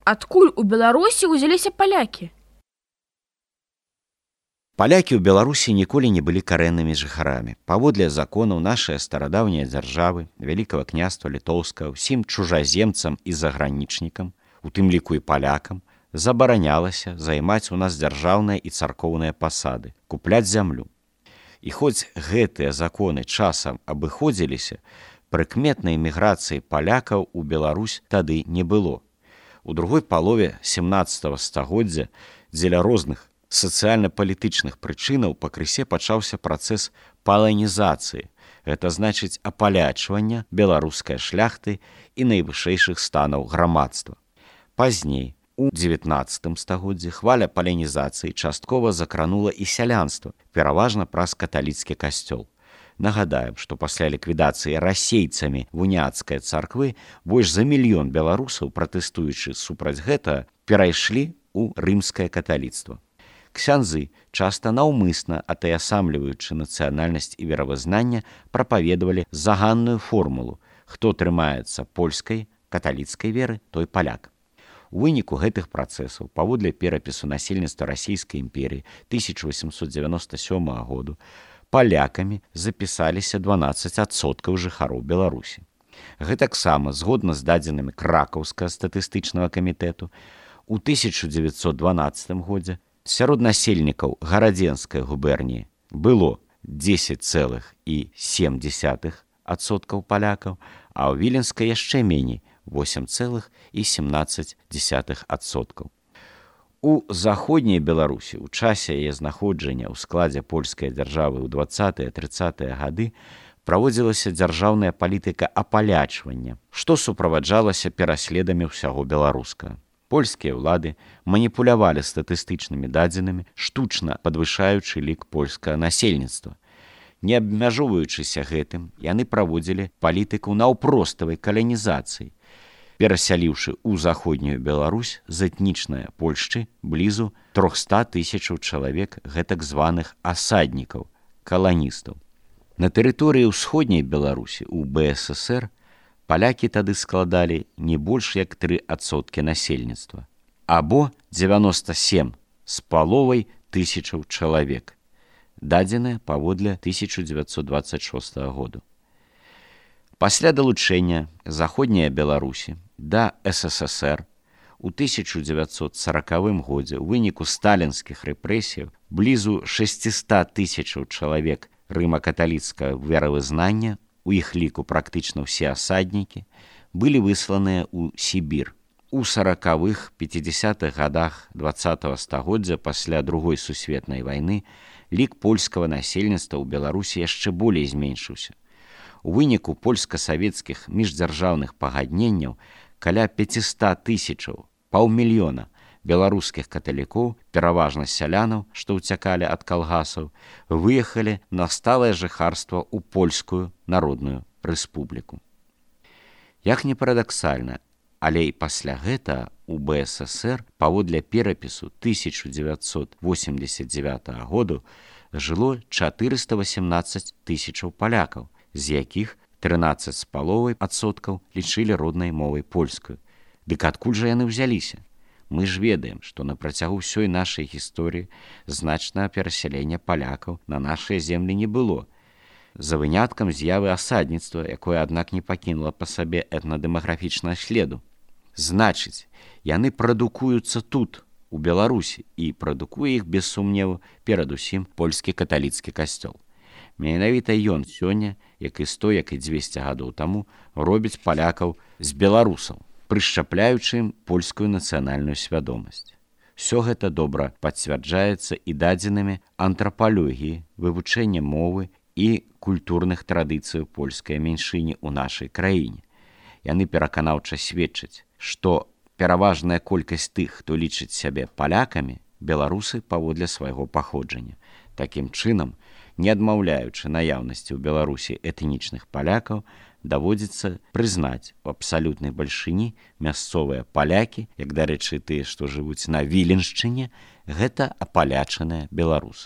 Адкуль у Беларусі ўзяліся палякі? Палякі ў Беларусі ніколі не былі карэннымі жыхарамі. Паводле законаў нашай старадаўняй дзяржавы, Вялікага княства Літоўскага, ўсім чужаземцам і загранічнікам, у тым ліку і палякам, забаранялася займаць у нас дзяржаўныя і царкоўныя пасады, купляць зямлю. І хоць гэтыя законы часам абыходзіліся, прыкметнай міграцыі палякаў у Беларусь тады не было. У другой палове 17 стагоддзя дзеля розных сацыяльна-палітычных прычынаў пакрысе пачаўся працэс паланізацыі, гэта значыць апалячвання беларускай шляхты і найвышэйшых станаў грамадства. Пазней, у 19 стагоддзі, хваля паланізацыі часткова закранула і сялянства, пераважна праз каталіцкі касцёл. Нагадаем, што пасля ліквідацыі расейцамі вуняцкай царквы больш за 1 мільён беларусаў, пратэстуючы супраць гэтага, перайшлі ў рымскае каталіцтва. Ксяндзы, часта наўмысна атаясамліваючы нацыянальнасць і веравызнання, прапаведавалі заганную формулу: хто трымаецца польскай, каталіцкай веры, той паляк. У выніку гэтых працэсаў, паводле перапісу насельніцтва Расійскай імперіі 1897 году, палякамі запісаліся 12% жыхароў Беларусі. Гэтаксама, згодна з дадзенымі Кракаўскага статыстычнага камітэту, у 1912 годзе сярод насельнікаў гарадзенскай губерніі было 10,7% палякаў, а ў віленскай яшчэ меней 8,17%. У заходняй Беларусі ў часе яе знаходжання ў складзе польскай дзяржавы ў 20-30-е гады праводзілася дзяржаўная палітыка апалячвання, што суправаджалася пераследамі ўсяго беларускага. Польскія ўлады маніпулявалі статыстычнымі дадзенымі, штучна падвышаючы лік польскага насельніцтва. Не абмяжоўваючыся гэтым, яны праводзілі палітыку наўпроставай каланізацыі, перасяліўшы ў заходнюю Беларусь з этнічнай Польшчы блізу 300 000 чалавек гэтак званых асаднікаў, каланістаў. На тэрыторыі ўсходняй Беларусі ў БССР палякі тады складалі не больш як 3% насельніцтва, або 97,5 тысячаў чалавек, дадзеныя паводле 1926 году. Пасля далучэння заходняй Беларусі да СССР у 1940 годзе ў выніку сталінскіх рэпрэсіяў блізу 600 000 чалавек рыма-каталіцкага веравызнання, у іх ліку практычна ўсе асаднікі, былі высланыя ў Сібір. У 40-х-50-х гадах 20-го стагоддзя пасля Другой сусветнай вайны лік польскага насельніцтва ў Беларусі яшчэ болей зменшыўся. У выніку польска-савецкіх міждзяржаўных пагадненняў каля 500 000, паўмільёна беларускіх каталікоў, пераважна сялянаў, што ўцякалі ад калгасаў, выехалі на сталае жыхарства ў Польскую Народную Рэспубліку. Як не парадаксальна, але і пасля гэтага у БССР паводле перапісу 1989 году жыло 418 000 палякаў, з якіх 13,5% лічылі роднай мовай польскую. Дык адкуль жа яны ўзяліся? Мы ж ведаем, што на працягу ўсёй нашай гісторыі значнага перасялення палякаў на нашыя землі не было, за выняткам з'явы асадніцтва, якое, аднак, не пакінула па сабе этнадэмаграфічнага следу. Значыць, яны прадукуюцца тут, у Беларусі, і прадукуе іх, без сумневу, перадусім польскі каталіцкі касцёл. Менавіта ён сёння, як і 100, як і 200 гадоў таму, робіць палякаў з беларусаў, прышчапляючы ім польскую нацыянальную свядомасць. Усё гэта добра пацвярджаецца і дадзенымі антрапалогіі, вывучэння мовы і культурных традыцыяў польскай меншыні ў нашай краіне. Яны пераканаўча сведчаць, што пераважная колькасць тых, хто лічыць сябе палякамі, беларусы паводле свайго паходжання. Такім чынам, не адмаўляючы наяўнасці ў Беларусі этнічных палякаў, даводзіцца прызнаць у абсалютнай бальшыні мясцовыя палякі, як, дарэчы, тыя, што жывуць на Віленшчыне, гэта апалячаныя беларусы.